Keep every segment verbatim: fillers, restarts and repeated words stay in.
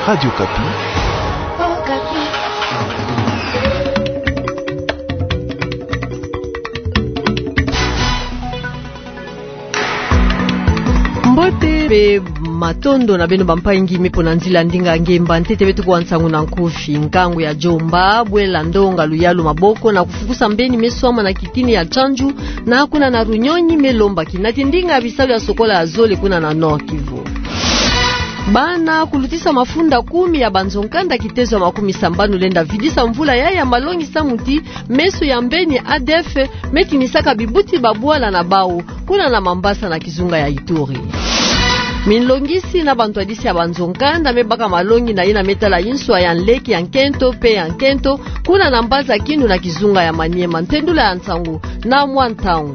Radio Okapi. Mbote mpe matondo na beno bampangi me mpo na nzila ndinga ngemba ntete beto kuwa nsangu na nkufi. Nkangu ya Djomba, bwela ndonga luyalu maboko na kufukusa mbeni me swama na kitini ya Tchandju, na kuna na Runyonyi me lomba kinati ndinga ya bisalu ya sokola ya zole kuna na Nord-Kivu. Bana kulutisa mafunda kumi ya banzo-nkanda kitezo ya makumi sambanu lenda vidisa mvula yayi ya malongi samu ti meso ya mbeni A D F me tinisaka bibuti babwala na bawu kuna na Mambasa na kizunga ya Ituri. Minlongisi na bantwadisi ya banzo-nkanda me baka malongi na yina me tala inswa ya nleke ya nkento mpe ya nkento kuna na Mbanza Kindu na kizunga ya Maniema. Ntendula ya nsangu na mwa ntangu.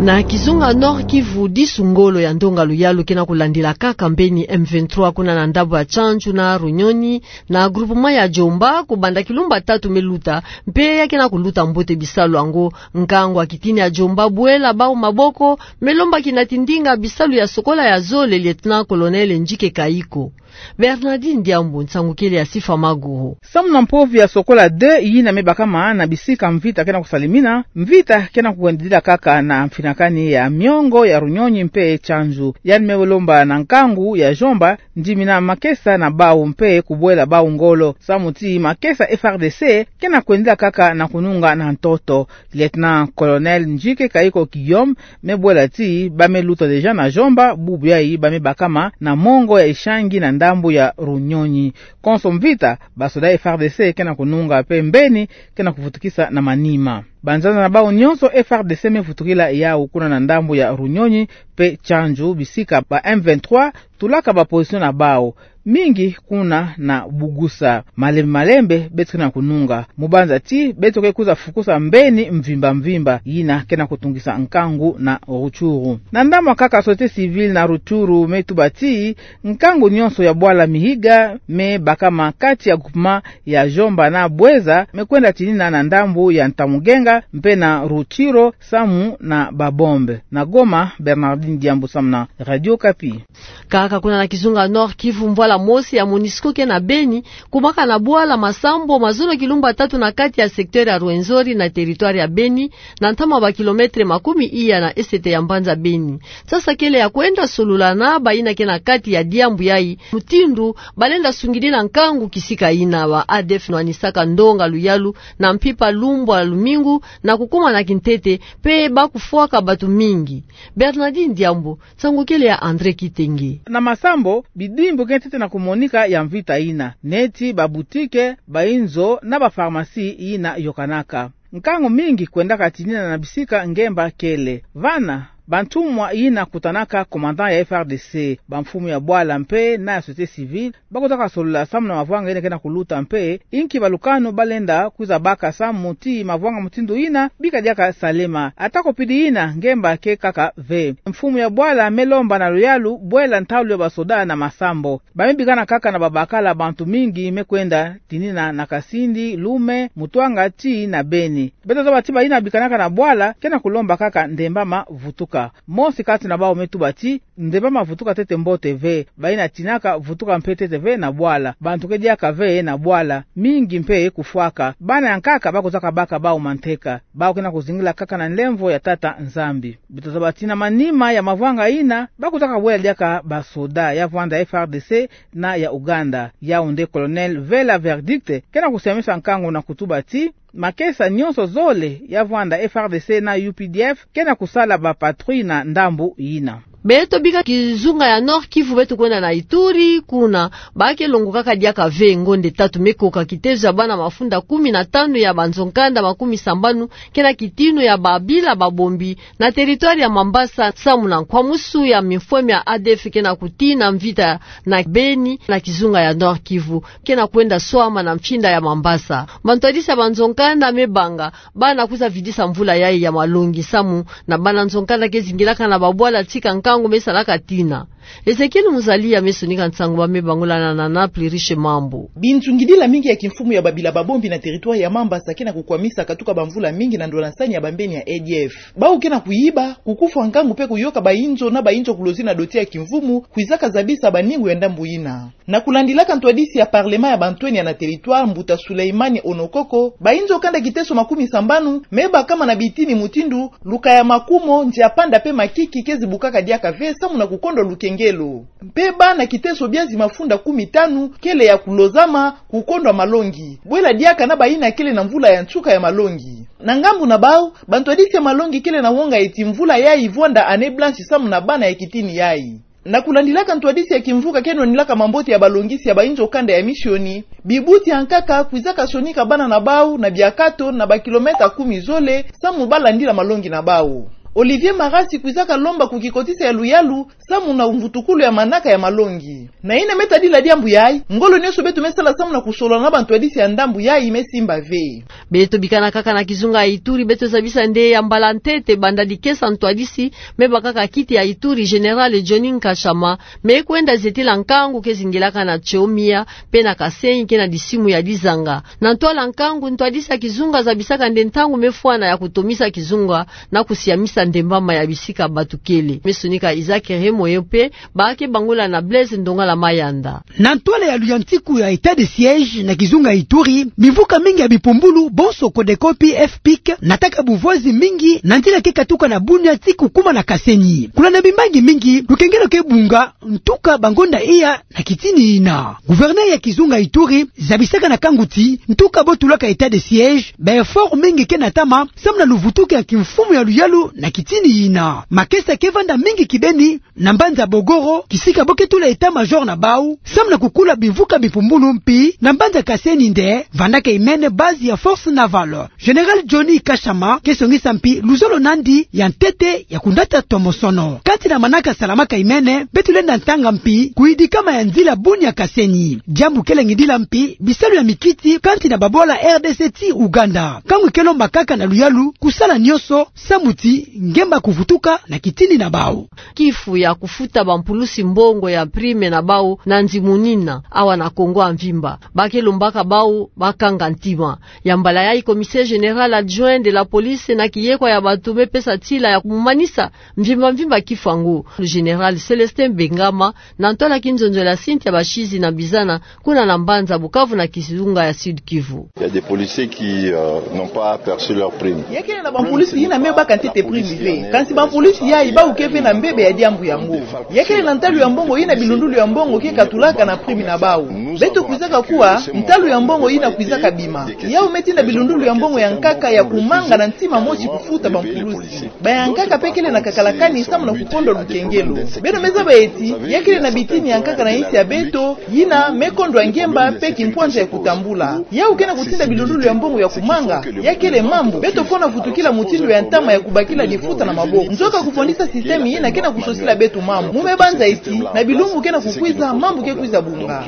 Na kizunga Nord-Kivu, disu ngolo ya ndonga luyalu ke na kulandila kaka mbeni M vingt-trois kuna na ndambu ya Tchandju na Runyonyi, na groupement ya Djomba, kubanda kilumba tatu me luta, mpe ya ke na kuluta mbote bisalu yango. Nkangu ya kitini ya Djomba, bwela bawu maboko, me lomba kinati ndinga bisalu ya sokola ya zole, Lieutenant-colonel Ndjike Kayiko. Bernardine Diambu, nsangu kele ya Sifa Maguru. Samu na mpovi ya sokola deux yina me bakama na bisika mvita ke na kusalimina, mvita ke na kuwendidila kaka na mfinakani ya miongo ya Runyonyi mpe Tchandju. Yandi me lomba na nkangu ya Djomba ndimina makesa na bawu mpe kubwela bawu ngolo, samu ti makesa F R D C ke na kwendidila kaka na kununga na ntoto. Lieutenant-colonel Ndjike Kayiko Guillaume me bwela ti ba me luta déjà na Djomba, bubu yayi ba me bakama na mongo ya Ishangi na ndambu ya Runyonyi. Konso mvita, basoda F R D C ke na kununga mpe mbeni ke na kuvutukisa na manima. Banzanza na bawu nyonso F R D C me vutukila yawu kuna na ndambu ya Runyonyi mpe Tchandju, bisika ba M vingt-trois tulaka ba position na bawu mingi kuna na Bugusa. Malembe malembe beto ke na kununga, mu banza ti beto ke kwiza fukusa mbeni mvimba mvimba yina ke na kutungisa nkangu na Rutshuru. Na ndambu ya nkaka, société civile na Rutshuru me tuba ti nkangu nyonso ya bwala Mihiga me bakama kati ya groupement ya Djomba na Bouenza me kwenda tinina na ndambu ya Ntamugenga mpe na Rutshuru samu na ba bombe. Na Goma, Bernardine Diambu samu na Radio Okapi. Kaka kuna na kizunga Nord-Kivu, mvwala mosi ya MONUSCO ke na Beni, kubaka na bwala masambu mazono kilumba tatu na kati ya secteur ya Rwenzori na territoire ya Beni, na ntama ba kilomètre makumi iya na esete ya mbanza Beni. Sasa kele ya kwenda solula na bayina ke na kati ya diambu yayi, mutindu balenda sungidila nkangu kisika yina. Ba A D F nwanisaka ndonga luyalu na mpimpa lumbu ya lumingu na kukuma na kintete, mpe ba kufwaka batu mingi. Bernardine Diambu, nsangu kele ya André Kitenge. Na masambu, bidimbu ke ntete na kumonika ya mvita yina, neti ba boutique, ba inzo na ba pharmacie yina yokanaka. Nkangu mingi kwendaka tinina na bisika ngemba kele. Vana, bantumwa yina kutanaka commandant ya F R D C, bamfumu ya bwala mpe na ya société civile, ba kotaka solula samu na mavwanga yina ke na kuluta mpe inki balukanu balenda kwiza baka samu ti mavwanga mutindu yina bika diaka salema. Atako pidi yina, ngemba ke kaka ve. Mfumu ya bwala me lomba na luyalu bwela ntalu ya basoda na masambu. Ba me bikana kaka na babakala, bantu mingi me kwenda tinina na Kasindi, Loume, Mutuanga tii na Beni. Beto zaba ti bayina bikanaka na bwala ke na kulomba kaka ndembama vutuka. Mosi kati na bawu me tuba ti ndembama vutuka ntete mbote ve. Bayina tinaka vutuka mpe ntete ve na bwala. Bantu ke diaka ve na bwala, mingi mpe kufwaka. Bana ya nkaka ba kotaka baka bawu manteka. Bawu ke na kuzingila kaka na nlemvo ya Tata Nzambi. Beto zaba ti na manima ya mavwanga yina, ba kotaka bwela diaka basoda ya vwanda F R D C na ya Ouganda. Yawu nde Colonel Vela Verdict ke na kusiamisa nkangu na kutuba ti makesa nyonso zole ya vwanda F R D C na U P D F ke na kusala ba patrouille na ndambu yina. Beto bika kizunga ya Nord-Kivu, beto kwenda na Ituri, kuna ba ke longokaka diaka ve ngonde tatu me koka kitezo ya bana mafunda kumi na tanu ya banzo-nkanda makumi sambanu ke na kitinu ya babila babombi na territoire ya Mambasa, samu na nkwamusu ya mifweme ya A D F ke na kutina mvita na Beni na kizunga ya Nord-Kivu, ke na kwenda swama na mfinda ya Mambasa. Bantwadisi ya banzo-nkanda me banga bana kwiza vidisa mvula yayi ya malongi samu na bana nzo-nkanda ke zingilaka na babwala tika nkangu me salaka tina. Ezekiel Muzalia me sonika nsangu, ba me bangula na Nana Pluriche Mambu. Binzungidila mingi ya kimfumu ya babila babombi na territoire ya Mambasa ke na kukwamisa katuka bamvula mingi na ndolosani ya bambeni ya A D F. Bau ke na kuyiba, kukufwa nkangu mpe kuyoka bainzo na bainzo kulozi na doti ya kimfumu, kwizaka zabisa baningu ya ndambu yina. Na kulandilaka ntwadisi ya parlement ya bantwenya na territoire, mbuta Suleimani Onokoko, bainzo kanda kiteso makumi sambanu me bakama na bitini mutindu luka ya makumo, nziapanda mpe makiki ke zibukaka diaka ve samu na kukondwa lukengelo. Mpe bana kiteso biazi mafunda kumi tanu kele ya kulozama, kukondwa malongi, bwela diaka na bayina kele na mvula ya nsuka ya malongi. Na ngambu na bau, bantwadisi ya malongi kele na wonga eti mvula yayi vwanda année blanche samu na bana ya kitini yayi. Na kulandilaka ntwadisi ya kimvuka ke nwanilaka mambote ya balongisi ya bainzo kanda ya misioni, bibuti ya nkaka kwizaka sonika bana na bau na biakato na bakilomètre kumi zole samu balandila malongi na bau. Olivier Marasi kwizaka lomba kukikotisa ya luyalu samu na mvutukulu ya manaka ya malongi. Na yina me tadila diambu yayi, ngolo nionso beto me sala samu na kusolola na bantwadisi ya ndambu yayi me simba ve. Beto bikana kaka na kizunga ya Ituri, beto zabisa nde ya mbala ntete banda dikesa ntwadisi me bakaka kiti ya Ituri, Général Johnny Nkashama, me kwenda zetila nkangu ke zingilaka na Tchomia mpe na Kasenyi ke na disimu ya dizanga. Na ntwala nkangu, ntwadisi ya kizunga zabisaka nde ntangu me fwana ya kutomisa kizunga na kusiamisa ndembama ya bisika bato kele. Me sonika Isaac Remo yo mpe, ba ke bangula na Blaise Ndongala Mayanda. Na ntwala ya luyantiku ya état de siège na kizunga Ituri, bimvuka mingi ya bipumbulu, bonso Codeco mpe FPIC, nataka buvwazi mingi na nzila ke katuka na Bunia tii kukuma na Kasenyi. Kulanda bimbangi mingi, lukengelo ke bunga, ntuka bangonda iya na kitini yina. Gouverneur ya kizunga Ituri zabisaka na nkangu ti, ntuka bo tulaka état de siège, ba effort mingi ke natama samu na luvutuki ya kimfumu ya luyalu na kitini yina. Makesa ke vanda mingi kibeni na mbanza Bogoro, kisika bo ke tula état-major na bau samu na kukula bimvuka bipumbulu, mpe na mbanza Kasenyi nde vandaka imene base ya force navale. Général Johnny Nkashama ke songisa mpe luzolo nandi ya ntete ya kunata tomosono. Kati na manaka salamaka imene, beto lenda ntanga mpe kuyidikama ya nzila Bunia Kasenyi. Diambu ke langidila mpe bisalu ya mikiti kati na babwala RDC tii Ouganda. Nkangu ke lomba kaka na luyalu kusala nionso samu ti ngemba kuvutuka na kitini na bau. Kifu ya kufuta bampulusi mbongo ya prime na bau na nzimunina awa na Kongo ya mvimba, ba ke lombaka bau bakanga ntima. Ya mbala yayi, commissaire général adjoint de la police na kiyekwa ya bato me pesa ntila ya kumanisa mvimba mvimba kifu yango, le général Célestin Bengama, na ntwala kinzonzolo ya Cynthia Bashizi na Bizana, kuna na mbanza Bukavu na kizunga ya Sud-Kivu. Il y a des policiers qui, euh, n'ont pas perçu leur prime. Ya kele na bampulusi yina me baka ntete prime ve. Kansi bampulusi yayi bau ke ve na mbebe ya diambu yango. Ya kele na ntalu ya mbongo yina bilundulu ya mbongo ke katulaka na prime na bau. Beto kwizaka kuwa ntalu ya mbongo yina kwizaka bima. Yau me tinda bilundulu ya mbongo ya nkaka ya kumanga na ntima mosi kufuta bampulusi. Bayankaka mpe kele na kakalakani samu na kukondwa lukengelo. Beno me zaba eti ya kele na bitini ya nkaka na nsi ya beto yina me kondwa ngemba mpe kimpwanza ya kutambula. Yau ke na kutinda bilundulu ya mbongo ya kumanga. Ya kele mambu beto fwana vutukila mutindu ya ntama ya kubakila difuta na maboko. Nzoka kufondisa système yina ke na kusosila beto mambu. Mu me banza eti na bilumbu ke na kukwiza, mambu ke kwiza bunga.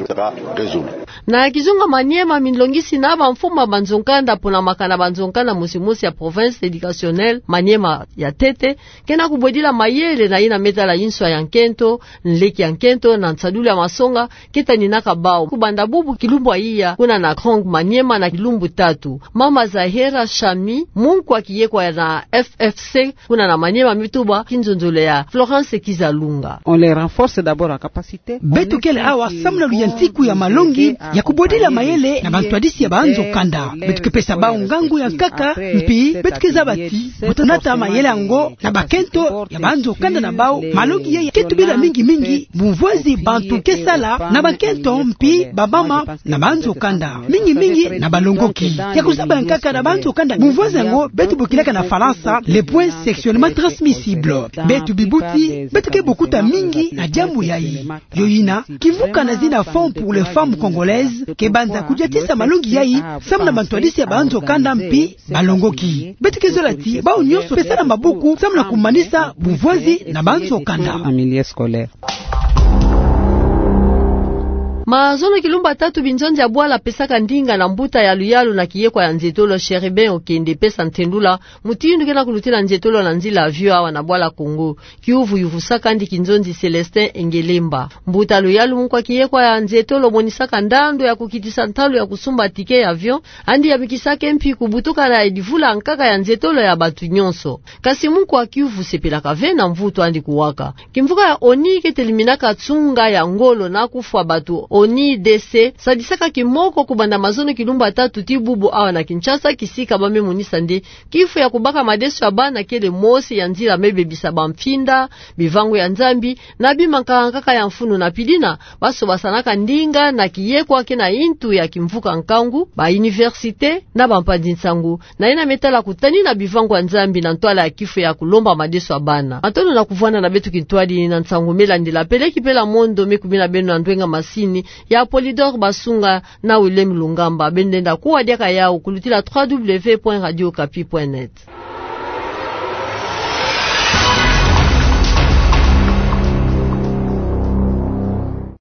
Na kizunga Maniema, minlongisi na bamfumu ya banzo-nkanda mpo na makana banzo-nkanda mosi mosi ya province éducationnelle Maniema ya ntete, ke na kubwedila mayele na yina me tala inswa ya nkento, nleke ya nkento na nsadulu ya masonga ke taninaka bau. Kubanda bubu kilumbu ya iya, kuna na Krong Maniema na kilumbu tatu. Mama Zahera Shami, munkwa kiyekwa na F F C, kuna na Maniema, me tuba kinzonzolo ya Florence Kizalunga. On les renforce d'abord en capacité. Beto kele awa samu na luyantiku ya malongi ya kubwedila mayele na bantwadisi ya banzo-kanda. Beto ke pesa bau ngangu ya nkaka, mpe beto ke zaba ti bo tanata mayele yango na bakento ya banzo-kanda na bau. Malongi yayi ke tubila mingi mingi bumvwezi bantu ke sala na bakento mpe bamama na banzo-kanda, mingi mingi na balongoki. Ya kuzaba ya nkaka na banzo-kanda, bumvwezi yango beto bokilaka na Falansa le point sexuellement transmissible. Beto bibuti beto ke bokuta mingi na diambu yayi. Yo yina, kimvuka na zina Fonds pour les femmes congolaises ke banza kudiatisa malongi yayi samu na bantwadisi ya banzo-kanda mpe balongoki. Beto ke zola ti bau nyonso pesa na maboko samu na kumanisa bumvwezi na banzo-kanda. En milieu scolaire. Mazono kilumba tatu binzonzi ya bwala pesaka ndinga na mbuta ya luyalu na kiyekwa ya nzietolo Chérubin Okende pesa ntendula mutindu ke na kulutila nzietolo na nzila avion awa na bwala Congo. Kiuvu yuvusaka ndi kinzonzi Célestin Engelemba. Mbuta luyalu mukwa kiyekwa ya nzietolo monisaka ndandu ya kukitisa ntalu ya kusumba ticket ya avion, andi yamikisaka mpi kubutuka na divula nkaka ya nzietolo ya batu nyonso. Kasi mukwa kiuvu sepelaka ve na mvutu andi kuwaka. Kimvuka ya ONI kete liminaka tsunga ya ngolo na kufwa batu, ONI D C, sadisaka kimoko kubanda mazono kilumba tatu ti bubu awa na Kinshasa, kisika ba me monisa nde kifu ya kubaka madeso ya bana kele mosi ya nzila me bebisa bamfinda, bivangu ya Nzambi, na bima nkaka ya mfunu. Na pidina, baso basanaka ndinga na kiyekwa ke na intu ya kimvuka nkangu, ba université, na bampanzi nsangu, na yina me tala kutanina bivangu ya Nzambi na ntwala ya kifu ya kulomba madeso ya bana. Matondo na kuvwanda na beto kintwadi na nsangu me landila. Peleki pela mondo me kumina beno na ndwenga masini ya Polydor Basunga na Willem Lungamba. Beno lenda kuwa diaka yawu kulutila trois W point radio okapi point net.